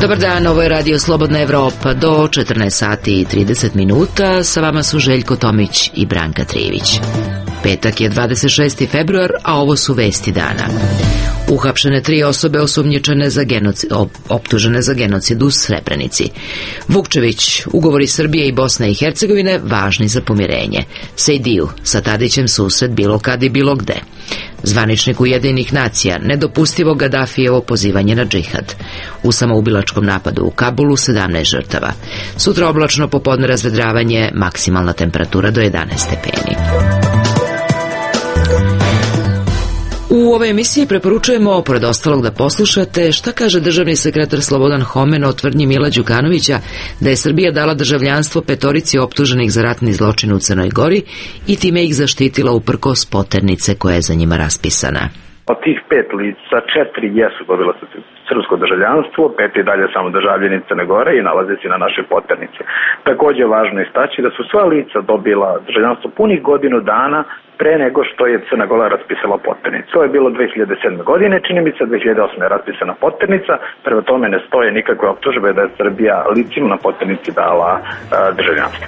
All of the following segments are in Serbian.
Dobar dan, ovo je Radio Slobodna Evropa. Do 14 sati i 30 minuta sa vama su Željko Tomić i Branka Trijević. Petak je 26. februar, a ovo su vesti dana. Uhapšene 3 osobe optužene za genocid u Srebrenici. Vukčević, ugovori Srbije i Bosne i Hercegovine važni za pomirenje. Sejdiju, sa Tadićem susret bilo kad i bilo gde. Zvaničnik Ujedinjenih nacija, nedopustivo Gadafijevo pozivanje na džihad. U samoubilačkom napadu u Kabulu 17 žrtava. Sutra oblačno, popodne razvedravanje, maksimalna temperatura do 11 stepeni. U ovoj emisiji preporučujemo, pored ostalog, da poslušate šta kaže državni sekretar Slobodan Homen o tvrdnji Mila Đukanovića da je Srbija dala državljanstvo 5 optuženih za ratni zločin u Crnoj Gori i time ih zaštitila uprkos poternice koja je za njima raspisana. Od tih 5 lica 4 jesu dobila srpsko državljanstvo, 5 je dalje samo državljani Crne Gore i nalaze se na našoj poternici. Također je važno istaći da su sva lica dobila državljanstvo punih godinu dana pre nego što je Crna Gora raspisala poternicu. To je bilo 2007. godine, čini mi se 2008. je raspisana poternica, prema tome ne stoje nikakve optužbe da je Srbija licima na poternici dala državljanstvo.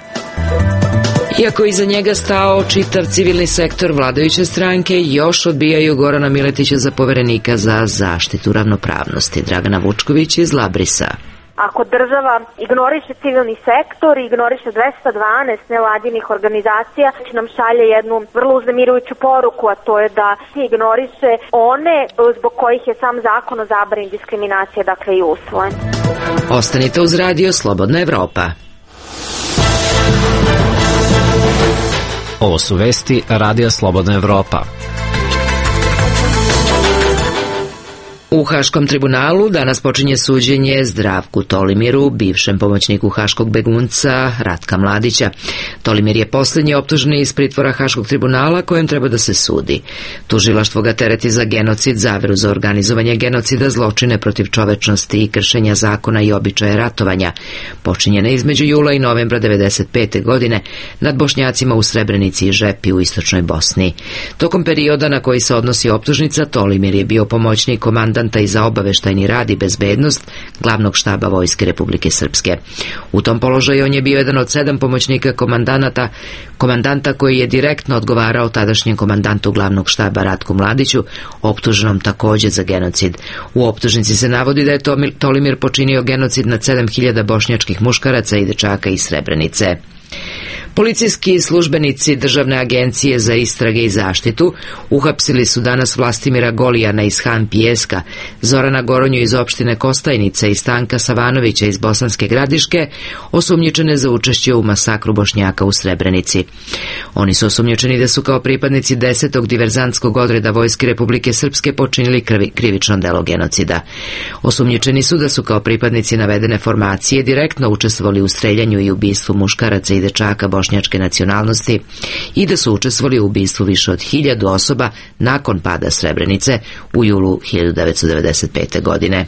Iako iza njega stao čitav civilni sektor vladajuće stranke, još odbijaju Gorana Miletića za poverenika za zaštitu ravnopravnosti. Dragana Vučković iz Labrisa. Ako država ignoriše civilni sektor i ignoriše 212 nevladinih organizacija, nam šalje jednu vrlo uznemirujuću poruku, a to je da se ignoriše one zbog kojih je sam zakon o zabrani diskriminacije, dakle, i usvojen. Ostanite uz Radio Slobodna Evropa. Ovo su vesti Radija Slobodna Evropa. U Haškom tribunalu danas počinje suđenje Zdravku Tolimiru, bivšem pomoćniku haškog begunca Ratka Mladića. Tolimir je posljednji optuženi iz pritvora Haškog tribunala kojem treba da se sudi. Tužilaštvo ga tereti za genocid, zaveru za organizovanje genocida, zločine protiv čovečnosti i kršenja zakona i običaja ratovanja, počinjene između jula i novembra 1995. godine nad Bošnjacima u Srebrenici i Žepi u istočnoj Bosni. Tokom perioda na koji se odnosi optužnica, Tolimir je bio pomoćnik komandanta i za obaveštajni rad i bezbednost glavnog štaba Vojske Republike Srpske. U tom položaju on je bio jedan od 7 pomoćnika komandanta koji je direktno odgovarao tadašnjem komandantu glavnog štaba Ratku Mladiću, optuženom također za genocid. U optužnici se navodi da je Tolimir počinio genocid nad 7000 bošnjačkih muškaraca i dečaka iz Srebrenice. Policijski službenici Državne agencije za istrage i zaštitu uhapsili su danas Vlastimira Golijana iz Han Pijeska, Zorana Goronju iz opštine Kostajnica i Stanka Savanovića iz Bosanske Gradiške, osumnjičene za učešće u masakru Bošnjaka u Srebrenici. Oni su osumnjičeni da su kao pripadnici 10. diverzantskog odreda Vojske Republike Srpske počinili krivično delo genocida. Osumnjičeni su da su kao pripadnici navedene formacije direktno učestvovali u streljanju i ubistvu muškaraca i dečaka bošnjačke nacionalnosti i da su učestvovali u ubistvu više od 1000 osoba nakon pada Srebrenice u julu 1995. godine.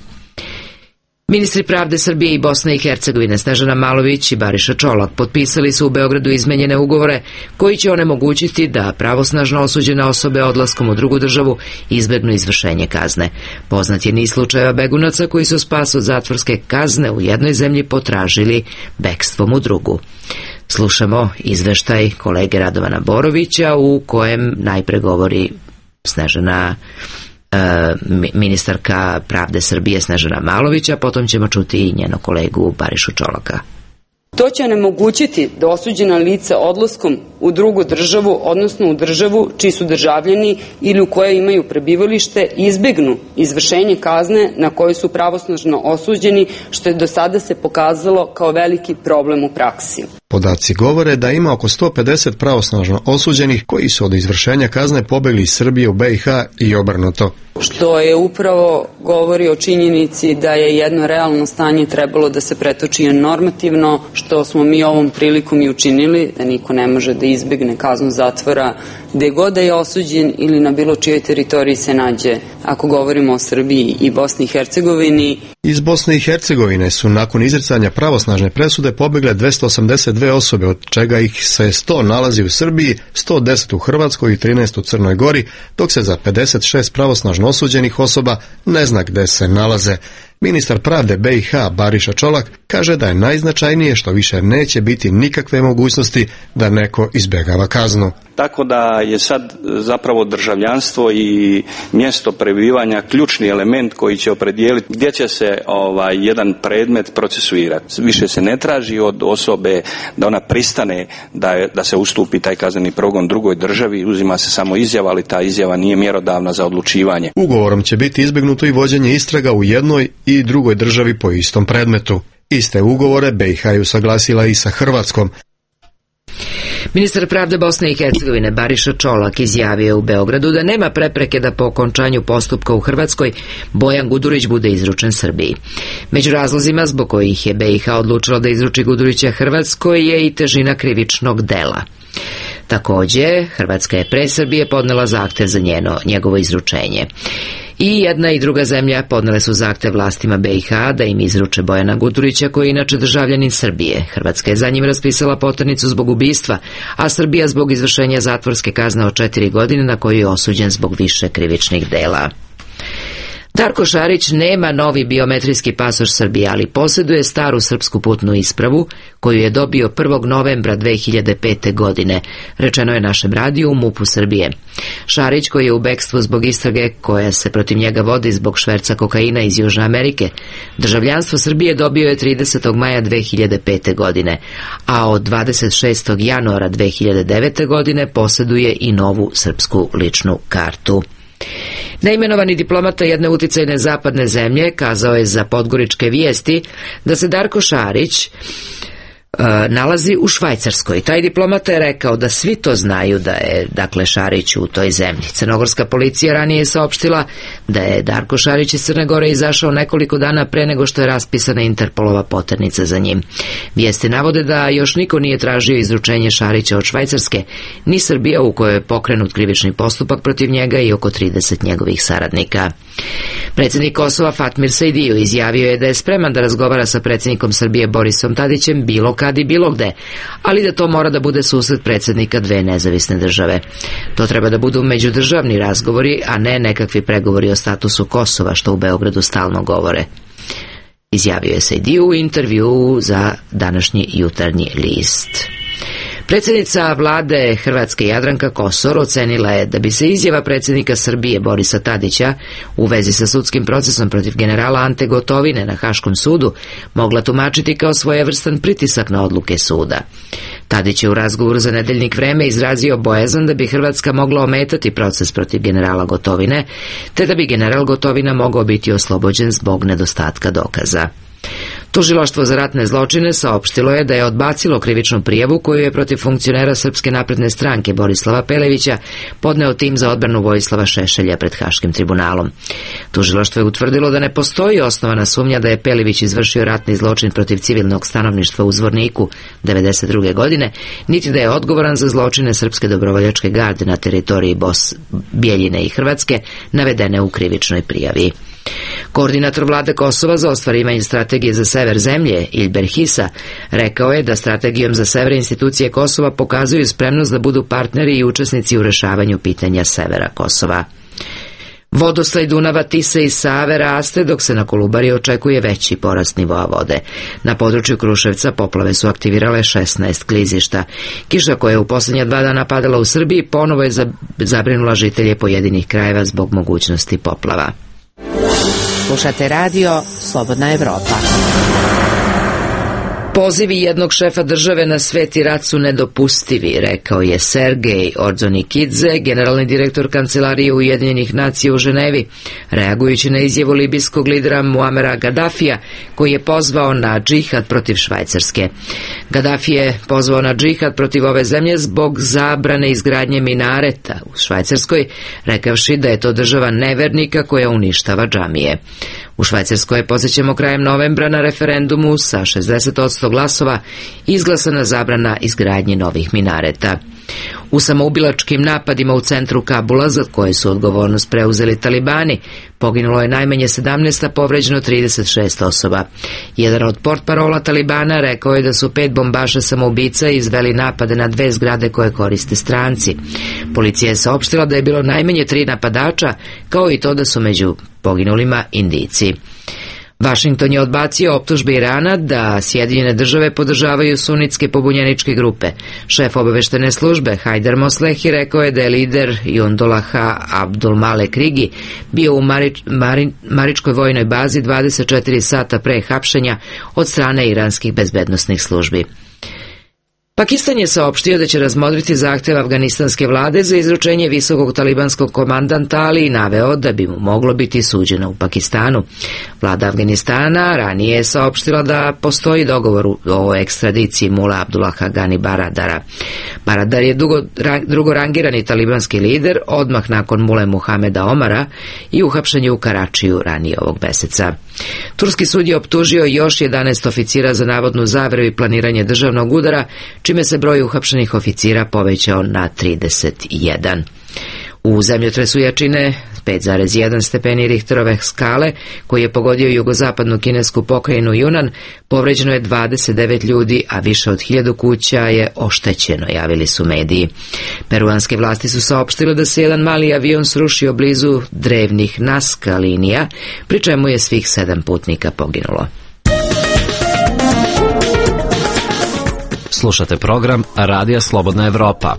Ministri pravde Srbije i Bosne i Hercegovine Snežana Malović i Bariša Čolak potpisali su u Beogradu izmenjene ugovore koji će onemogućiti da pravosnažno osuđene osobe odlaskom u drugu državu izbegnu izvršenje kazne. Poznat je niz slučajeva begunaca koji su spas od zatvorske kazne u jednoj zemlji potražili bekstvom u drugu. Slušamo izveštaj kolege Radovana Borovića u kojem najpre govori ministarka pravde Srbije Snežana Malovića, potom ćemo čuti i njenog kolegu Barišu Čolaka. To će onemogućiti da osuđena lica odlaskom u drugu državu, odnosno u državu čiji su državljani ili u kojoj imaju prebivalište, izbegnu izvršenje kazne na koju su pravosnažno osuđeni, što je do sada se pokazalo kao veliki problem u praksi. Podaci govore da ima oko 150 pravosnažno osuđenih koji su od izvršenja kazne pobegli iz Srbije u BiH i obrnuto. Što je upravo govori o činjenici da je jedno realno stanje trebalo da se pretoči normativno, što smo mi ovom prilikom i učinili, da niko ne može da izbegne kaznu zatvora gde god da je osuđen ili na bilo čijoj teritoriji se nađe, ako govorimo o Srbiji i Bosni i Hercegovini. Iz Bosne i Hercegovine su nakon izricanja pravosnažne presude pobegle 282 osobe, od čega ih se 100 nalazi u Srbiji, 110 u Hrvatskoj i 13 u Crnoj Gori, dok se za 56 pravosnažno osuđenih osoba ne zna gde se nalaze. Ministar pravde BiH Bariša Čolak kaže da je najznačajnije što više neće biti nikakve mogućnosti da neko izbjegava kaznu. Tako da je sad zapravo državljanstvo i mjesto prebivanja ključni element koji će opredijeliti gdje će se jedan predmet procesuirati. Više se ne traži od osobe da ona pristane da se ustupi taj kazneni progon drugoj državi, uzima se samo izjava, ali ta izjava nije mjerodavna za odlučivanje. Ugovorom će biti izbjegnuto i vođenje istraga u jednoj i drugoj državi po istom predmetu. Iste ugovore BiH je usaglasila i sa Hrvatskom. Ministar pravde Bosne i Hercegovine Bariša Čolak izjavio u Beogradu da nema prepreke da po okončanju postupka u Hrvatskoj Bojan Gudurić bude izručen Srbiji. Među razlozima zbog kojih je BiH odlučila da izruči Gudurića Hrvatskoj je i težina krivičnog dela. Također, Hrvatska je pre Srbije podnela zahtev za njegovo izručenje. I jedna i druga zemlja podnele su zahtev vlastima BiH da im izruče Bojana Gudurića, koji je inače državljanin Srbije. Hrvatska je za njim raspisala poternicu zbog ubistva, a Srbija zbog izvršenja zatvorske kazne od 4 godine na koju je osuđen zbog više krivičnih dela. Darko Šarić nema novi biometrijski pasoš Srbije, ali posjeduje staru srpsku putnu ispravu koju je dobio 1. novembra 2005. godine, rečeno je našem radiju u MUP-u Srbije. Šarić, koji je u bekstvu zbog istrage koja se protiv njega vodi zbog šverca kokaina iz Južne Amerike, državljanstvo Srbije dobio je 30. maja 2005. godine, a od 26. januara 2009. godine posjeduje i novu srpsku ličnu kartu. Neimenovani diplomata jedne uticajne zapadne zemlje kazao je za Podgoričke vijesti da se Darko Šarić nalazi u Švajcarskoj. Taj diplomata je rekao da svi to znaju da je, Šarić u toj zemlji. Crnogorska policija ranije je saopštila da je Darko Šarić iz Crne Gore izašao nekoliko dana pre nego što je raspisana Interpolova poternica za njim. Vijesti navode da još niko nije tražio izručenje Šarića od Švajcarske, ni Srbija u kojoj je pokrenut krivični postupak protiv njega i oko 30 njegovih saradnika. Predsjednik Kosova Fatmir Sejdiu izjavio je da je spreman da razgovara sa predsjednikom Srbije Borisom Tadićem bilo kad i bilo gde, ali da to mora da bude susret predsjednika dve nezavisne države. To treba da budu međudržavni razgovori, a ne nekakvi pregovori o statusu Kosova, što u Beogradu stalno govore. Izjavio je Sejdiu u intervjuu za današnji Jutarnji list. Predsjednica vlade Hrvatske Jadranka Kosor ocenila je da bi se izjava predsjednika Srbije Borisa Tadića u vezi sa sudskim procesom protiv generala Ante Gotovine na Haškom sudu mogla tumačiti kao svojevrstan pritisak na odluke suda. Tadić je u razgovoru za nedeljnik Vreme izrazio bojazan da bi Hrvatska mogla ometati proces protiv generala Gotovine, te da bi general Gotovina mogao biti oslobođen zbog nedostatka dokaza. Tužilaštvo za ratne zločine saopštilo je da je odbacilo krivičnu prijavu koju je protiv funkcionera Srpske napredne stranke Borislava Pelevića podneo tim za odbranu Vojislava Šešelja pred Haškim tribunalom. Tužilaštvo je utvrdilo da ne postoji osnovana sumnja da je Pelević izvršio ratni zločin protiv civilnog stanovništva u Zvorniku 1992. godine, niti da je odgovoran za zločine Srpske dobrovoljačke garde na teritoriji Bijeljine i Hrvatske navedene u krivičnoj prijavi. Koordinator vlade Kosova za ostvarivanje strategije za sever zemlje, Ilber Hisa, rekao je da strategijom za sever institucije Kosova pokazuju spremnost da budu partneri i učesnici u rešavanju pitanja severa Kosova. Vodoslaj Dunava, Tise i Save raste, dok se na Kolubari očekuje veći porast nivoa vode. Na području Kruševca poplave su aktivirale 16 klizišta. Kiša koja je u posljednja 2 dana padala u Srbiji ponovo je zabrinula žitelje pojedinih krajeva zbog mogućnosti poplava. Slušate radio Slobodna Evropa. Pozivi jednog šefa države na sveti rat su nedopustivi, rekao je Sergej Orzonikidze, generalni direktor Kancelarije Ujedinjenih nacija u Ženevi, reagujući na izjavu libijskog lidera Muamera Gadafija, koji je pozvao na džihad protiv Švajcarske. Gadafi je pozvao na džihad protiv ove zemlje zbog zabrane izgradnje minareta u Švajcarskoj, rekavši da je to država nevernika koja uništava džamije. U Švajcarskoj je, podsjećamo, krajem novembra na referendumu sa 60% glasova izglasana zabrana izgradnje novih minareta. U samoubilačkim napadima u centru Kabula, za koje su odgovornost preuzeli talibani, poginulo je najmanje 17, a povređeno 36 osoba. Jedan od portparola talibana rekao je da su 5 bombaša samoubica izveli napade na 2 zgrade koje koriste stranci. Policija je saopštila da je bilo najmanje 3 napadača, kao i to da su među poginulima Indijci. Vašington je odbacio optužbe Irana da Sjedinjene države podržavaju sunitske pobunjeničke grupe. Šef obaveštene službe Hajder Moslehi rekao je da je lider Jundolaha Abdulmalek Rigi bio u Maričkoj vojnoj bazi 24 sata pre hapšenja od strane iranskih bezbednosnih službi. Pakistan je saopštio da će razmotriti zahtev afganistanske vlade za izručenje visokog talibanskog komandanta, ali i naveo da bi mu moglo biti suđeno u Pakistanu. Vlada Afganistana ranije je saopštila da postoji dogovor o ekstradiciji Mula Abdullaha Gani Baradara. Baradar je drugorangirani talibanski lider odmah nakon Mule Muhameda Omara i uhapšen je u Karačiju ranije ovog meseca. Turski sud je optužio još 11 oficira za navodnu zavreru i planiranje državnog udara, čime se broj uhapšenih oficira povećao na 31. U zemljotresu jačine 5,1 stepeni Richterove skale, koji je pogodio jugozapadnu kinesku pokrajinu Yunnan, povređeno je 29 ljudi, a više od 1000 kuća je oštećeno, javili su mediji. Peruanske vlasti su saopštile da se jedan mali avion srušio blizu drevnih Nazca linija, pri čemu je svih 7 putnika poginulo. Slušate program Radija Slobodna Evropa.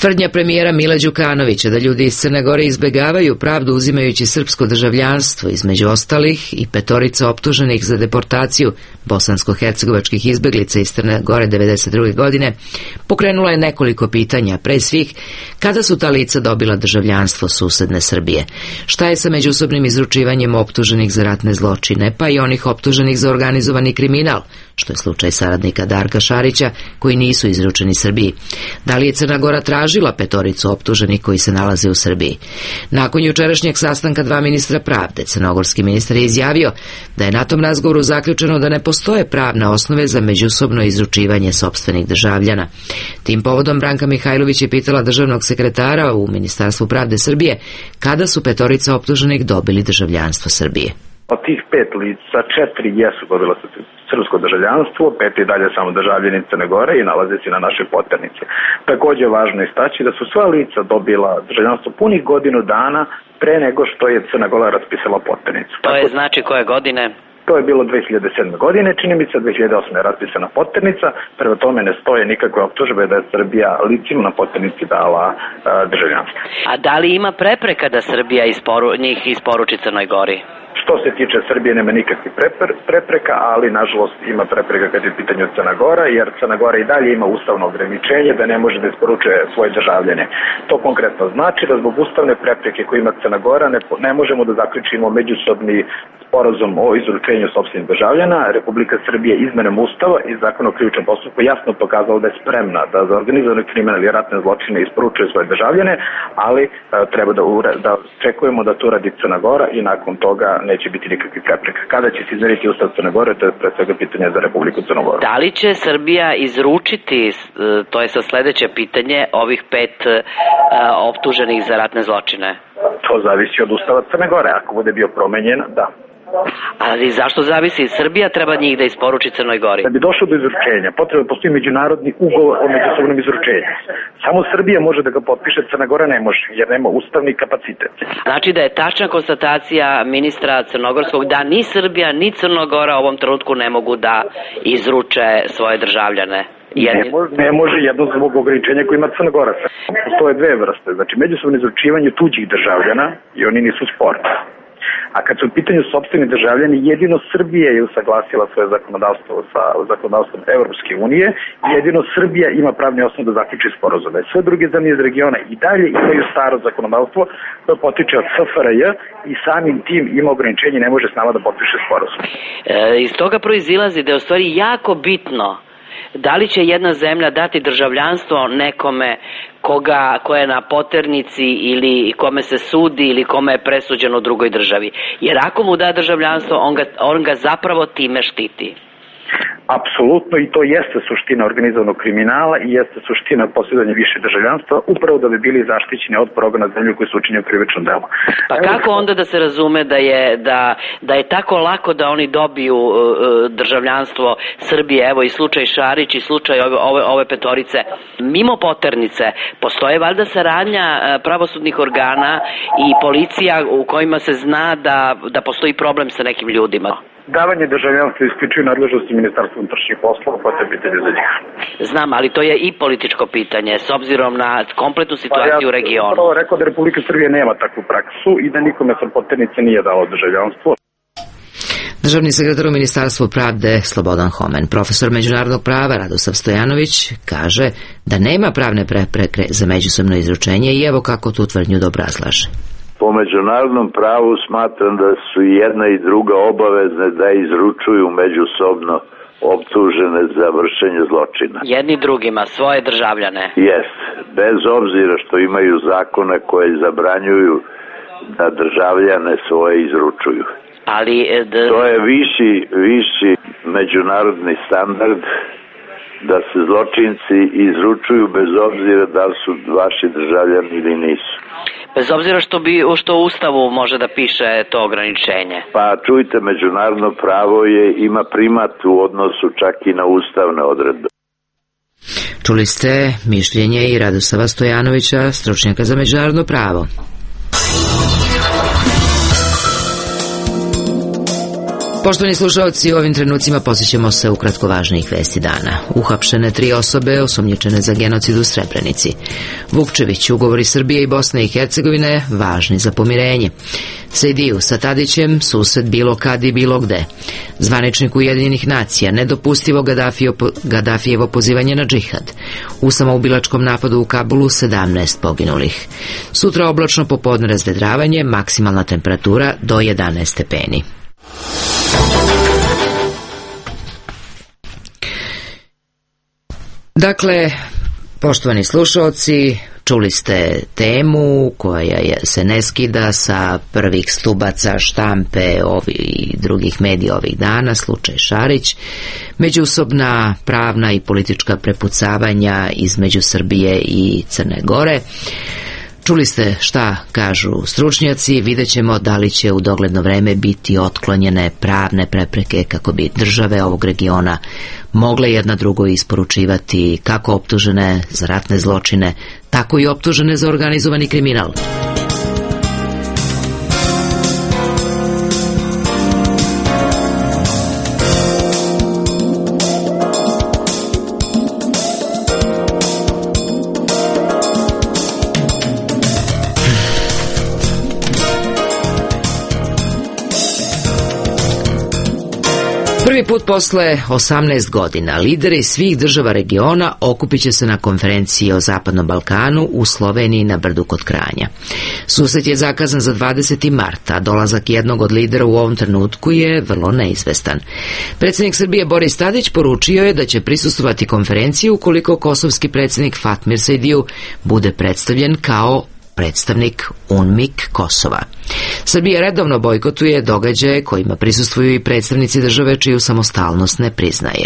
Tvrdnja premijera Mila Đukanovića da ljudi iz Crne Gore izbegavaju pravdu uzimajući srpsko državljanstvo, između ostalih i 5 optuženih za deportaciju bosansko-hercegovačkih izbeglica iz Crne Gore 1992. godine, pokrenula je nekoliko pitanja, pre svih kada su ta lica dobila državljanstvo susedne Srbije, šta je sa međusobnim izručivanjem optuženih za ratne zločine, pa i onih optuženih za organizovani kriminal, što je slučaj saradnika Darka Šarića, koji nisu izručeni Srbiji. Da li je Crna Gora tražila 5 optuženih koji se nalaze u Srbiji? Nakon jučerašnjeg sastanka 2 ministra pravde, crnogorski ministar je izjavio da je na tom razgovoru zaključeno da ne postoje pravne osnove za međusobno izručivanje sopstvenih državljana. Tim povodom Branka Mihajlović je pitala državnog sekretara u Ministarstvu pravde Srbije kada su 5 optuženih dobili državljanstvo Srbije. Od tih 5 lica 4 jesu dobila srpsko državljanstvo, 5 i dalje samo državljani Crne Gore i nalaze se na našoj poternici. Također je važno istaći da su sva lica dobila državljanstvo punih godinu dana pre nego što je Crna Gora raspisala poternicu. To je znači koje godine? To je bilo 2007. godine, čini mi se 2008. je raspisana poternica, prema tome ne stoje nikakve optužbe da je Srbija licima na poternici dala državljanstvo. A da li ima prepreka da Srbija njih isporuči Crnoj Gori? Što se tiče Srbije nema nikakvih prepreka, ali nažalost ima prepreka kad je u pitanju Crna Gora, jer Crna Gora i dalje ima ustavno ograničenje da ne može da isporučuje svoje državljane. To konkretno znači da zbog ustavne prepreke koje ima Crna Gora ne možemo da zaključimo međusobni sporazum o izručenju sopstvenih državljana. Republika Srbije izmenom Ustava i Zakona o krivičnom postupku jasno pokazala da je spremna da za organizovani kriminal i ratne zločine isporučuje svoje državljane, ali treba da čekujemo da to radi Crna Gora i nakon toga neće biti nikakvih prepreka. Kada će se izmeriti Ustav Crne Gore, to je pre svega pitanje za Republiku Crnu Goru. Da li će Srbija izručiti, to je sa sledeće pitanje, ovih 5 optuženih za ratne zločine? To zavisi od Ustava Crne Gore. Ako bude bio promenjen, da. Ali zašto zavisi? Srbija treba njih da isporuči Crnoj Gori. Da bi došlo do izručenja, potrebno postoji međunarodni ugovor o međusobnom izručenju. Samo Srbija može da ga potpiše, Crna Gora ne može, jer nema ustavni kapacitet. Znači da je tačna konstatacija ministra crnogorskog da ni Srbija ni Crna Gora u ovom trenutku ne mogu da izruče svoje državljane. Ne može jedno zbog ograničenja koje ima Crna Gora. Postoje 2 vrste, znači međusobno izručivanje tuđih državljana i oni nisu sporni. A kad su u pitanju sopstveni državljani, jedino Srbija je usaglasila svoje zakonodavstvo sa zakonodavstvom Evropske unije, jedino Srbija ima pravni osnov da zaključi sporazume. Sve druge zemlje iz regiona i dalje imaju staro zakonodavstvo koje potiče od SFRJ i samim tim ima ograničenje, ne može s nama da potpiše sporazum. Iz toga proizilazi da je u stvari jako bitno da li će jedna zemlja dati državljanstvo nekome ko je na poternici ili kome se sudi ili kome je presuđeno u drugoj državi. Jer ako mu da državljanstvo, on ga zapravo time štiti. Apsolutno, i to jeste suština organizovanog kriminala i jeste suština posjedovanja više državljanstva, upravo da bi bili zaštićeni od progona zemlje koji su učinili krivično delo. Pa kako onda da se razume da je tako lako da oni dobiju državljanstvo Srbije, evo i slučaj Šarić i slučaj ove petorice, mimo poternice, postoje valjda saradnja pravosudnih organa i policija u kojima se zna da postoji problem sa nekim ljudima? Davanje državljanstva isključuje nadležnosti Ministarstva unutrašnjih poslova, pa to je pitanje za njih. Znam, ali to je i političko pitanje, s obzirom na kompletnu situaciju u regionu. Ja sam rekao da Republika Srbije nema takvu praksu i da nikome sa poternice nije dao državljanstvo. Državni sekretar u Ministarstvu pravde Slobodan Homen, profesor međunarodnog prava Radosav Stojanović, kaže da nema pravne prepreke za međusobno izručenje i evo kako tu tvrdnju da obrazlaže. Po međunarodnom pravu smatram da su jedna i druga obavezne da izručuju međusobno optužene za vršenje zločina. Jedni drugima, svoje državljane. Jest, bez obzira što imaju zakone koje zabranjuju da državljane svoje izručuju. Ali to je viši međunarodni standard da se zločinci izručuju bez obzira da li su vaši državljani ili nisu. Bez obzira što u Ustavu može da piše to ograničenje. Pa čujte, međunarodno pravo ima primat u odnosu čak i na ustavne odredbe. Čuli ste mišljenje i Radosava Stojanovića, stručnjaka za međunarodno pravo. Poštovani slušalci, u ovim trenucima posjećamo se ukratko važnijih vesti dana. Uhapšene 3 osobe osumnjičene za genocid u Srebrenici. Vukčević, ugovori Srbije i Bosne i Hercegovine važni za pomirenje. Sejdiju sa Tadićem, sused bilo kad i bilo gde. Zvaničnik Ujedinjenih nacija, nedopustivo Gadafijevo pozivanje na džihad. U samoubilačkom napadu u Kabulu 17 poginulih. Sutra oblačno, popodne razvedravanje, maksimalna temperatura do 11 stepeni. Dakle, poštovani slušalci, čuli ste temu koja se ne skida sa prvih stubaca štampe i drugih medija ovih dana, slučaj Šarić, međusobna pravna i politička prepucavanja između Srbije i Crne Gore. Čuli ste šta kažu stručnjaci, vidjet ćemo da li će u dogledno vreme biti otklonjene pravne prepreke kako bi države ovog regiona mogle jedna drugo isporučivati kako optužene za ratne zločine, tako i optužene za organizovani kriminal. Prvi put posle 18 godina lideri svih država regiona okupit će se na konferenciji o Zapadnom Balkanu u Sloveniji na Brdu kod Kranja. Susret je zakazan za 20. marta, a dolazak jednog od lidera u ovom trenutku je vrlo neizvestan. Predsjednik Srbije Boris Tadić poručio je da će prisustvovati konferenciji ukoliko kosovski predsjednik Fatmir Sejdiju bude predstavljen kao predstavnik UNMIK Kosova. Srbija redovno bojkotuje događaje kojima prisustvuju i predstavnici države čiju samostalnost ne priznaje.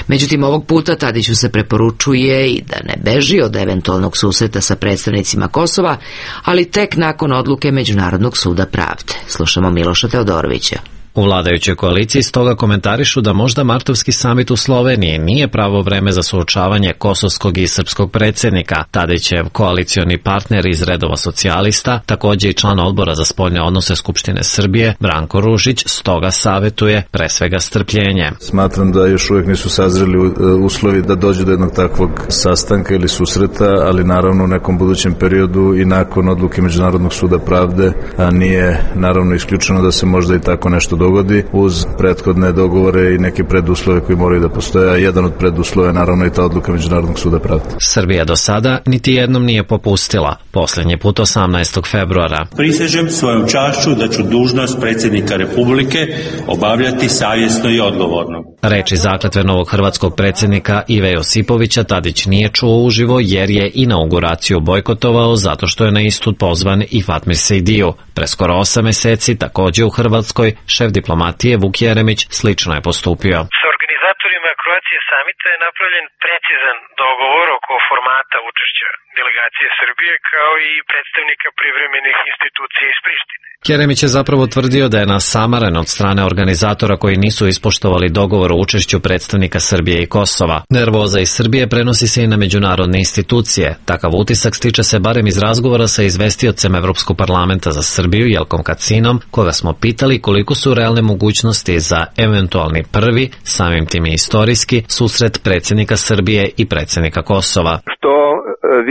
Međutim, ovog puta Tadiću se preporučuje i da ne beži od eventualnog susreta sa predstavnicima Kosova, ali tek nakon odluke Međunarodnog suda pravde. Slušamo Miloša Teodorovića. U vladajućoj koaliciji stoga komentarišu da možda martovski samit u Sloveniji nije pravo vreme za suočavanje kosovskog i srpskog predsjednika. Tadićev koalicioni partner iz redova socijalista, također i član odbora za spoljne odnose Skupštine Srbije, Branko Ružić, stoga savjetuje pre svega strpljenje. Smatram da još uvijek nisu sazreli uslovi da dođe do jednog takvog sastanka ili susreta, ali naravno u nekom budućem periodu i nakon odluke Međunarodnog suda pravde, a nije naravno isključeno da se možda i tako nešto dogodi uz prethodne dogovore i neke preduslove koji moraju da postoje, a jedan od preduslova je naravno i ta odluka Međunarodnog suda pravde. Srbija do sada niti jednom nije popustila, posljednji put 18. februara. Prisežem svojom čašću da ću dužnost predsjednika Republike obavljati savjesno i odgovorno. Reči zakletve novog hrvatskog predsjednika Ive Josipovića Tadić nije čuo uživo jer je inauguraciju bojkotovao zato što je na istu pozvan i Fatmir Sejdiju. Pre skoro 8 meseci također u Hrvatskoj šef diplomatije Vuk Jeremić slično je postupio. Sa organizatorima organizacije samita je napravljen precizan dogovor oko formata učešća delegacije Srbije kao i predstavnika privremenih institucija iz Prištine. Jeremić je zapravo tvrdio da je nasamaren od strane organizatora koji nisu ispoštovali dogovor o učešću predstavnika Srbije i Kosova. Nervoza iz Srbije prenosi se i na međunarodne institucije. Takav utisak stiče se barem iz razgovora sa izvestiocem Evropskog parlamenta za Srbiju, Jelkom Kacinom, koga smo pitali koliko su realne mogućnosti za eventualni prvi, samim tim i istorijski, susret predsjednika Srbije i predsjednika Kosova. Što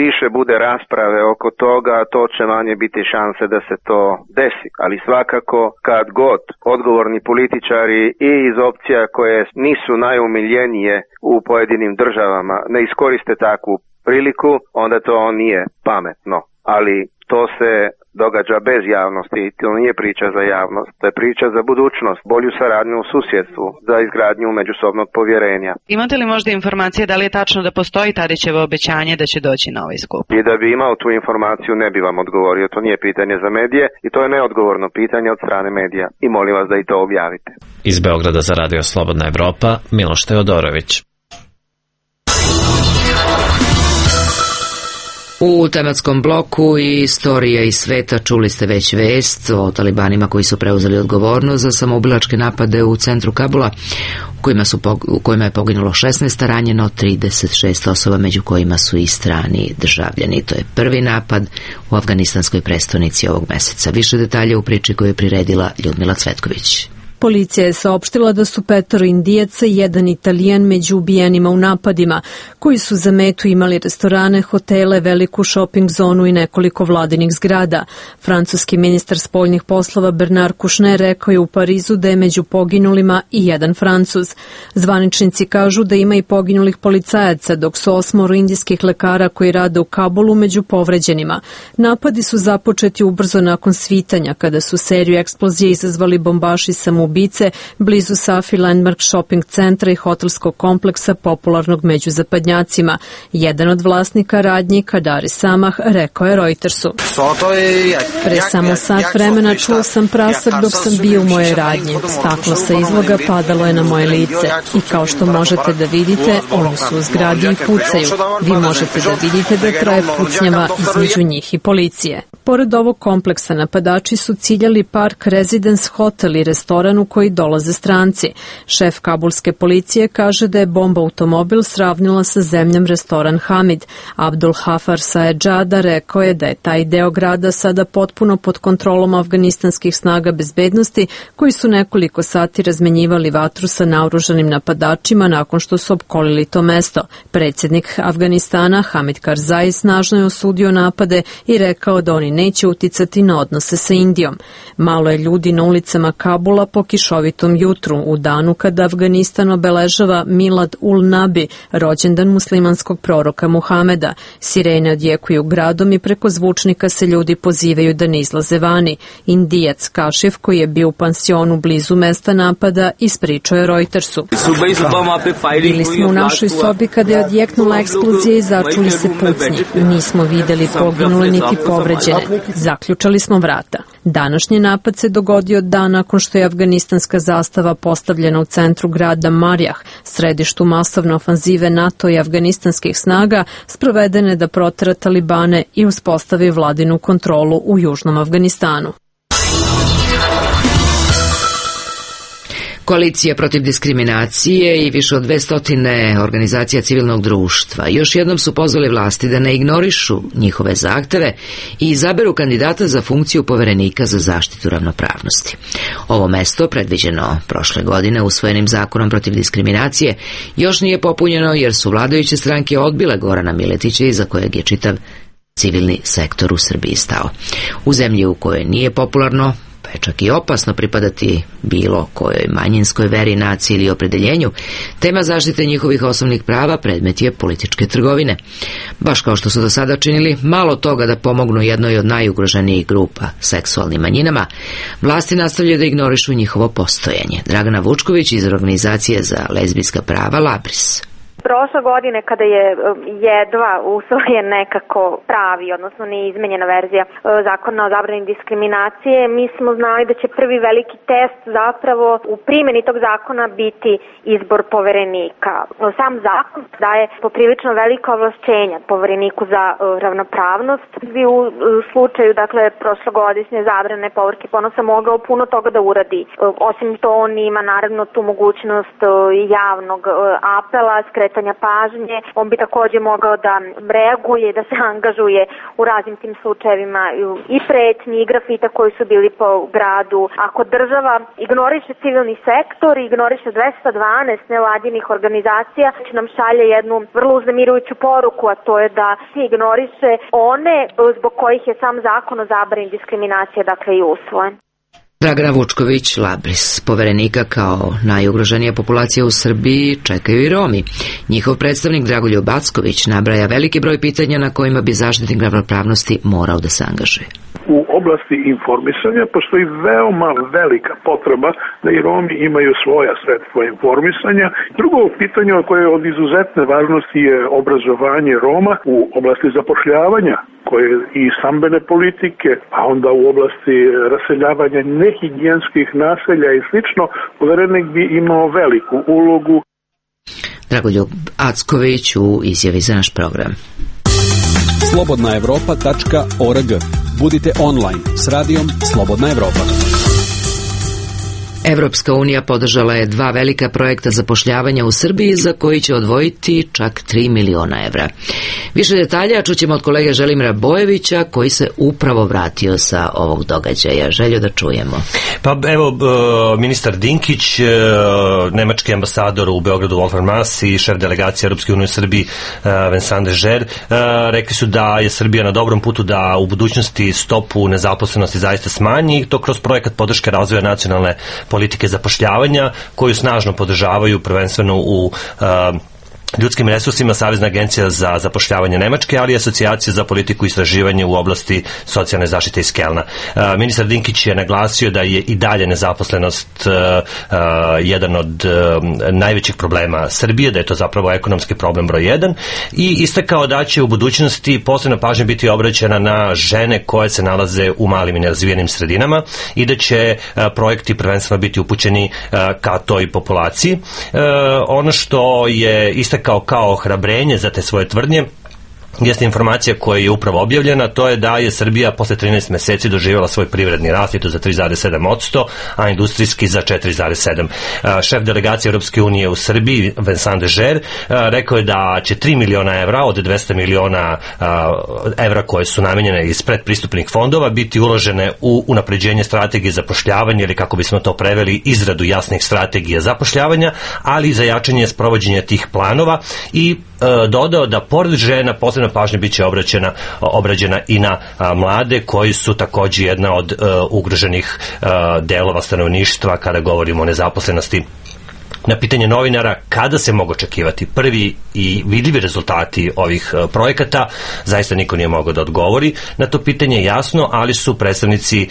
više bude rasprave oko toga, to će manje biti šanse da se to desi. Ali svakako kad god odgovorni političari i iz opcija koje nisu najumiljenije u pojedinim državama ne iskoriste takvu priliku, onda to nije pametno. Ali to se događa bez javnosti, to nije priča za javnost, to je priča za budućnost, bolju saradnju u susjedstvu, za izgradnju međusobnog povjerenja. Imate li možda informacije da li je tačno da postoji Tadićevo obećanje da će doći na ovaj skup? I da bi imao tu informaciju ne bi vam odgovorio, to nije pitanje za medije i to je neodgovorno pitanje od strane medija i molim vas da i to objavite. Iz Beograda za Radio Slobodna Evropa, Miloš Teodorović. U tematskom bloku Istorija iz sveta čuli ste već vest o talibanima koji su preuzeli odgovornost za samoubilačke napade u centru Kabula, u kojima je poginulo 16, ranjeno 36 osoba, među kojima su i strani državljani. To je prvi napad u afganistanskoj prestonici ovog meseca. Više detalja u priči koju je priredila Ljudmila Cvetković. Policija je saopštila da su 5 Indijaca i 1 Italijan među ubijenima u napadima, koji su za metu imali restorane, hotele, veliku šoping zonu i nekoliko vladinih zgrada. Francuski ministar spoljnih poslova Bernard Kouchner rekao je u Parizu da je među poginulima i 1 Francuz. Zvaničnici kažu da ima i poginulih policajaca, dok su 8 indijskih lekara koji rade u Kabulu među povređenima. Napadi su započeti ubrzo nakon svitanja, kada su seriju eksplozije izazvali bombaši samoubice blizu Safi Landmark shopping centra i hotelskog kompleksa popularnog među zapadnjacima. Jedan od vlasnika radnji, Kadari Samah, rekao je Reutersu: Pre samo sat vremena čuo sam prasak dok sam bio u moje radnji. Staklo sa izloga padalo je na moje lice i kao što možete da vidite, oni su u zgradi i pucaju. Vi možete da vidite da traje pucnjava između njih i policije. Pored ovog kompleksa napadači su ciljali Park Residence Hotel i restoran u koji dolaze stranci. Šef kabulske policije kaže da je bomba automobil sravnila sa zemljom restoran Hamid. Abdul Hafar Saedžada rekao je da je taj deo grada sada potpuno pod kontrolom afganistanskih snaga bezbednosti, koji su nekoliko sati razmenjivali vatru sa naoružanim napadačima nakon što su opkolili to mesto. Predsjednik Afganistana Hamid Karzai snažno je osudio napade i rekao da oni neće uticati na odnose sa Indijom. Malo je ljudi na ulicama Kabula po kišovitom jutru, u danu kada Afganistan obeležava Milad ul Nabi, rođendan muslimanskog proroka Muhameda. Sirene odjekuju gradom i preko zvučnika se ljudi pozivaju da ne izlaze vani. Indijac Kašif, koji je bio u pansionu blizu mesta napada, ispričao je Reutersu: Bili smo u našoj sobi kada je odjeknula eksplozija i začuli se pucnji. Nismo videli poginule niti povređene. Zaključali smo vrata. Današnji napad se dogodio dan nakon što je afganistanska zastava postavljena u centru grada Marjah, središtu masovne ofanzive NATO i afganistanskih snaga, sprovedene da protera talibane i uspostavi vladinu kontrolu u južnom Afganistanu. Koalicija protiv diskriminacije i više od 200 organizacija civilnog društva još jednom su pozvali vlasti da ne ignorišu njihove zahteve i izaberu kandidata za funkciju poverenika za zaštitu ravnopravnosti. Ovo mesto, predviđeno prošle godine usvojenim zakonom protiv diskriminacije, još nije popunjeno jer su vladajuće stranke odbile Gorana Miletića, iza kojeg je čitav civilni sektor u Srbiji stao. U zemlji u kojoj nije popularno, pa je čak i opasno pripadati bilo kojoj manjinskoj veri, naciji ili opredeljenju, tema zaštite njihovih osnovnih prava predmet je političke trgovine. Baš kao što su do sada činili malo toga da pomognu jednoj od najugroženijih grupa, seksualnim manjinama, vlasti nastavljaju da ignorišu njihovo postojanje. Dragana Vučković iz Organizacije za lezbijska prava Labris. Prošle godine kada je jedva usvojen nekako pravi, odnosno neizmenjena verzija zakona o zabrani diskriminacije, mi smo znali da će prvi veliki test zapravo u primjeni tog zakona biti izbor poverenika. Sam zakon daje poprilično velika ovlašćenja povereniku za ravnopravnost. Bi u slučaju, dakle, prošlogodišnje zabrane povrke ponosa mogao puno toga da uradi. Osim to, on ima naravno tu mogućnost javnog apela, skretanja pažnje. On bi također mogao da reaguje, da se angažuje u raznim tim slučajevima i pretnji i grafita koji su bili po gradu. Ako država ignoriše civilni sektor i ignoriše 212 nevladinih organizacija, će nam šalje jednu vrlo uznemirujuću poruku, a to je da se ignoriše one zbog kojih je sam zakon o zabrani diskriminacije, dakle, i usvojen. Dragana Vučković-Labris, poverenika kao najugroženija populacija u Srbiji, čekaju i Romi. Njihov predstavnik Dragoljub Acković nabraja veliki broj pitanja na kojima bi zaštitnik ravnopravnosti morao da se angažuje. U oblasti informisanja postoji veoma velika potreba da i Romi imaju svoja sredstva informisanja. Drugo pitanje koje je od izuzetne važnosti je obrazovanje Roma u oblasti zapošljavanja koje i stambene politike, a onda u oblasti raseljavanja nehigijenskih naselja i slično. Poverenik bi imao veliku ulogu. Dragoljub Acković u izjavi za naš program. Slobodnaevropa.org. Budite online s radijom Slobodna Evropa. Evropska unija podržala je 2 velika projekta zapošljavanja u Srbiji za koji će odvojiti čak 3 miliona evra. Više detalja čućemo od kolege Želimira Bojevića koji se upravo vratio sa ovog događaja. Željo da čujemo. Pa evo, ministar Dinkić, nemački ambasador u Beogradu Wolfgang Maass i šef delegacije Europske unije u Srbiji Vincent de Geer rekli su da je Srbija na dobrom putu da u budućnosti stopu nezaposlenosti zaista smanji i to kroz projekat podrške razvoja nacionalne politike zapošljavanja koju snažno podržavaju prvenstveno u ljudskim resursima Savezna agencija za zapošljavanje Nemačke, ali i Asocijacija za politiku i istraživanje u oblasti socijalne zaštite iz Kelna. Ministar Dinkić je naglasio da je i dalje nezaposlenost jedan od najvećih problema Srbije, da je to zapravo ekonomski problem broj 1 i istakao da će u budućnosti posebna pažnja biti obraćena na žene koje se nalaze u malim i nerazvijenim sredinama i da će projekti prvenstveno biti upućeni ka toj populaciji. Ono što je istakao kao ohrabrenje za te svoje tvrdnje jeste informacija koja je upravo objavljena, to je da je Srbija posle 13 meseci doživjela svoj privredni rast, i to za 3,7%, a industrijski za 4,7%. Šef delegacije Europske unije u Srbiji, Vincent de Geer, rekao je da će 3 miliona evra od 200 miliona evra koje su namenjene iz predpristupnih fondova biti uložene u unapređenje strategije zapošljavanja ili, kako bismo to preveli, izradu jasnih strategija zapošljavanja, ali i za jačanje sprovođenja tih planova i dodao da pored žena posebna pažnja biće obrađena i na mlade koji su također jedna od ugroženih delova stanovništva kada govorimo o nezaposlenosti. Na pitanje novinara kada se mogu očekivati prvi i vidljivi rezultati ovih projekata, zaista niko nije mogao da odgovori. Na to pitanje jasno, ali su predstavnici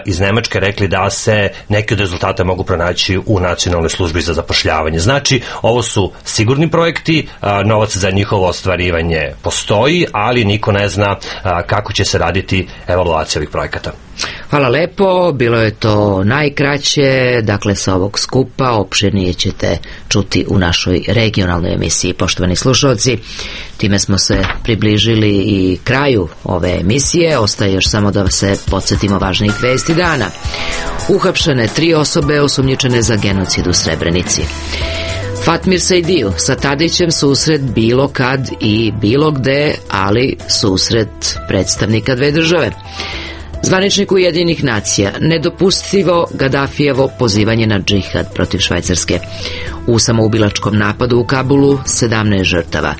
iz Nemačke rekli da se neki od rezultata mogu pronaći u Nacionalnoj službi za zapošljavanje. Znači, ovo su sigurni projekti, novac za njihovo ostvarivanje postoji, ali niko ne zna kako će se raditi evaluacija ovih projekata. Hvala lepo, bilo je to najkraće, dakle sa ovog skupa opširnije ćete čuti u našoj regionalnoj emisiji. Poštovani slušalci, time smo se približili i kraju ove emisije, ostaje još samo da se podsjetimo važnih vesti dana. Uhapšene 3 osobe osumnjičene za genocid u Srebrenici. Fatmir Sejdiju sa Tadićem susret bilo kad i bilo gde, ali susret predstavnika 2 države. Zvaničnik Ujedinjenih nacija, nedopustivo Gadafijevo pozivanje na džihad protiv Švajcarske. U samoubilačkom napadu u Kabulu 17 žrtava.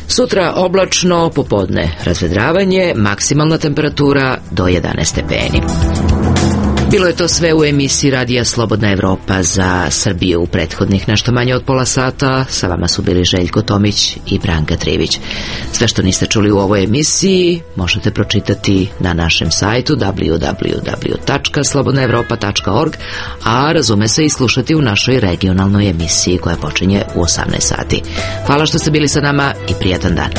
Sutra oblačno, popodne razvedravanje, maksimalna temperatura do 11 stepeni. Bilo je to sve u emisiji Radija Slobodna Evropa za Srbiju u prethodnih nešto manje od pola sata. Sa vama su bili Željko Tomić i Branka Trivić. Sve što niste čuli u ovoj emisiji možete pročitati na našem sajtu www.slobodnaevropa.org, a razume se i slušati u našoj regionalnoj emisiji koja počinje u 18 sati. Hvala što ste bili sa nama i prijatan dan.